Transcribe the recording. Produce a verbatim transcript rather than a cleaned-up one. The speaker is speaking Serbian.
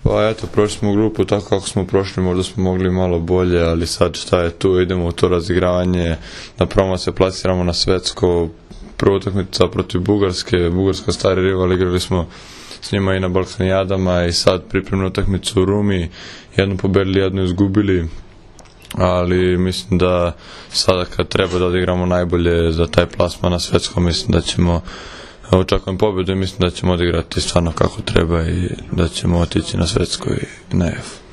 Pa eto, prošli smo grupu tako kako smo prošli, možda smo mogli malo bolje, ali sad šta je tu, idemo u to razigravanje, na prvom se plasiramo na svetsko, prva utakmica protiv Bugarske, Bugarska stari rival, igrali smo s njima i na Balkanijadama i sad pripremnu utakmicu u Rumi, jednu pobedili, jednu izgubili, ali mislim da sada kad treba da odigramo najbolje za taj plasman na svetskom, mislim da ćemo, očekujem pobedu i mislim da ćemo odigrati stvarno kako treba i da ćemo otići na svetsko i na F.